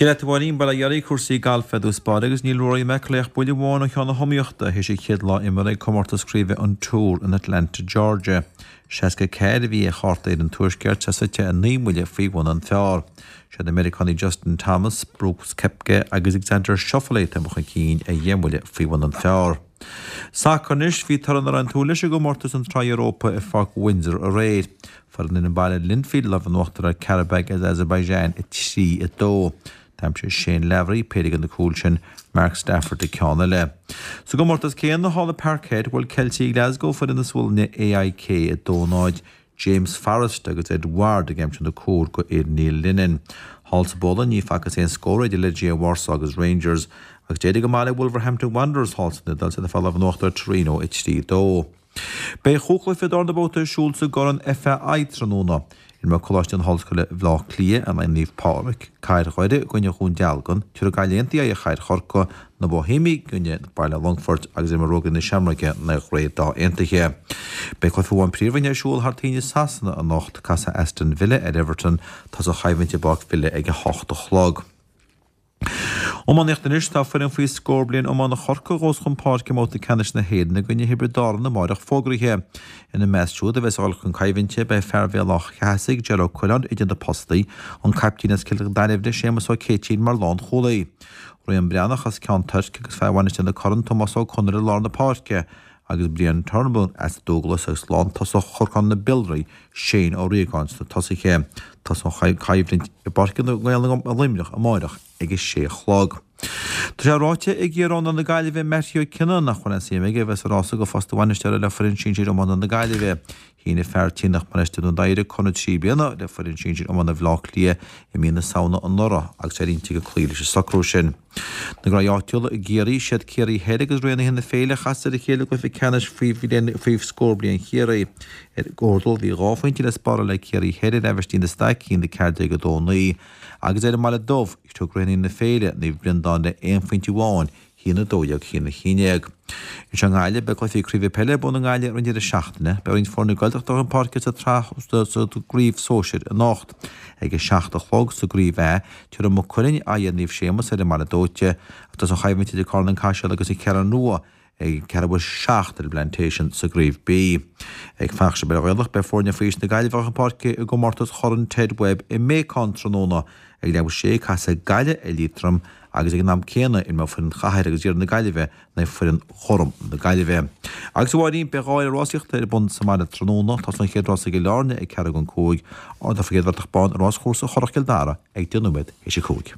Dia leat a Mháirín, bail ó Dhia oraibh, cúrsaí gailf i dtús báire agus níl Rory McIlroy ach buille amháin ó cheann na hiomaíochta théis a chéad lá imeartha ag comórtas craoibhe an Tour in Atlanta, Georgia. 64 a bhí ar chárta fhir an Tuaiscirt, é suite 9 mbuille faoi bhun an phar. Siad na Meiriceánaigh Justin Thomas, Brooks Koepka agus Xander Schauffele atá imithe chun cinn ar dheich mbuille faoi bhun an phar. Sacar anois, bhí toradh nach raibh ag súil leis i gcomórtas an tSraith Europa i Pháirc Windsor aréir. Fuair an fhoireann baile Linfield lámh in uachtar ar Qarabag as Azerbaijan 3, 2. D'aimsigh Shane Lavery péire de na cúil sin, Mark Stafford an ceann eile. Sa gcomórtas céanna thall i Parkhead, bhuail Ceiltigh Glasgow foireann na Sualainne AIK 2, 0. James Forrest agus Ed Ward ag aimsiú na cúil go fhir Neil Lennon. Thall sa bPolainn ní facthas aon scór idir Legia Warsaw agus Rangers agus d'éirigh go maith le Wolverhampton Wanderers thall san Iodáil is iad ag fáil lámh in uachtar ar Torino 3, 2. Beidh chúig chluiche darna babhta ar siúl sa gCorn FAI tráthnóna. Imreoidh Coláiste na hOllscoile Bhaile Átha Cliath in aghaidh Naomh Pádraig, Cathair Dhoire i gcoinne Dhún Dealgan, tabharfaidh Gaillimh Aontaithe aghaidh ar Chathair Chorcaí, Na Boihéimigh i gcoinne Baile Longfoirt agus imreoidh Ruagairí na Seamróige in aghaidh Ghrae Dá Aontaithe. Beidh cluiche amháin Príomhroinne ar siúl thar toinn i Sasana anocht, casfaidh Aston Villa ar Everton, tosóidh an choimhlint i bPáirc Villa ag 8 a chlog. Iománaíocht Anois tá foireann faoi scór bliain iomána Chorcaí a ghabhfas chun páirce i mbabhta ceannais na hÉireann i gcoinne Thiobraid Árann amáireach fógraithe. Ina measc siúd a bheas ag dul chun coimhlinte beidh fear Bhéal Átha Cheathasaigh, Ger Ó Coileáin idir na postaí, an caiptín as Cill Dairbhre, Séamus Ó Céitinn mar lánchúlaí. Rian Breathnach as Ceann Toirc agus fear Mhainistir na Corann, Tomás Ó Conaire i lár na páirce agus Brian Turnbull as Dúglas agus lántosach Chorcán na Biolraí, Shane Ó Riagáin sna tosaithe. Tosóidh an choimhlint i bPáirc na nGael i Luimneach amáireach ag a sé a chlog. Tá sé ráite ag iar-iománaí na Gaillimhe Mattie Ó Cionnaith nach bhfuil aon suim aige a bheith sa rása do phost an bhainisteora le foireann sinsir iomána na Gaillimhe. Shínigh fear tí na Mainistir Dún Doighre conradh 3 bliana le foireann sinsir iomána Bhaile Átha Cliath i mí na Samhna anuraidh agus tá ar intinn aige cloí leis an socrú sin. Na gcraobh áitiúla i gCiarraí, siad Ciarraí Thoir agus Raonaithe na Féile a chas ar a chéile i gcluiche ceannais faoi scór bliain Chiarraí. Ar an gcomhardal bhí 2 phointe le spáráil ag Ciarraí Thoir ar Aibhistín de Staic, 1-14, 2-9, agus ar an mBaile Dubh, thug Raonaithe na Féile, Naomh Breandán le aon phointe amháin, 1-12, 1-11. Anseo i nGaillimh, beidh cluichí craoibhe peile ar bun i nGaillimh ar an deireadh seachtaine. Beidh roinnt foirne Gaeltachta chun páirce sa tsraith sa gcraobh sóisir anocht. Ag a 7 a chlog sa gcraobh A, tabharfaidh Maigh Cuilinn aghaidh ar Naomh Séamus ar an mBaile Dóite, agus tosóidh an choimhlint idir Carn an Caiseal agus an Cheathrú Rua ag ceathrú a 7 ar an bPlantation sa gcraobh B. Ag fanacht sa bpeil Ghaelach, beidh foirne faoi aois na Gaillimhe chun páirce i gcomórtas Chorn Ted Webb i mBéacán tráthnóna. Ag leathuair tar éis a 6, casfaidh Gaillimh ar Liatroim agus ag an am céanna imreoidh foireann Chathair agus Iarthar na Gaillimhe in aghaidh foireann Ghorm na Gaillimhe. Agus a Mháirín, beidh dhá fhéile rásaíochta ar bun sa mbaile tráthnóna. Tosóidh an chéad rás i gCill Airne ag ceathrú don 5, ardófar an chéad bhratach bán i ráschúrsa Churrach Chill Dara ag 10 nóiméad théis a 5.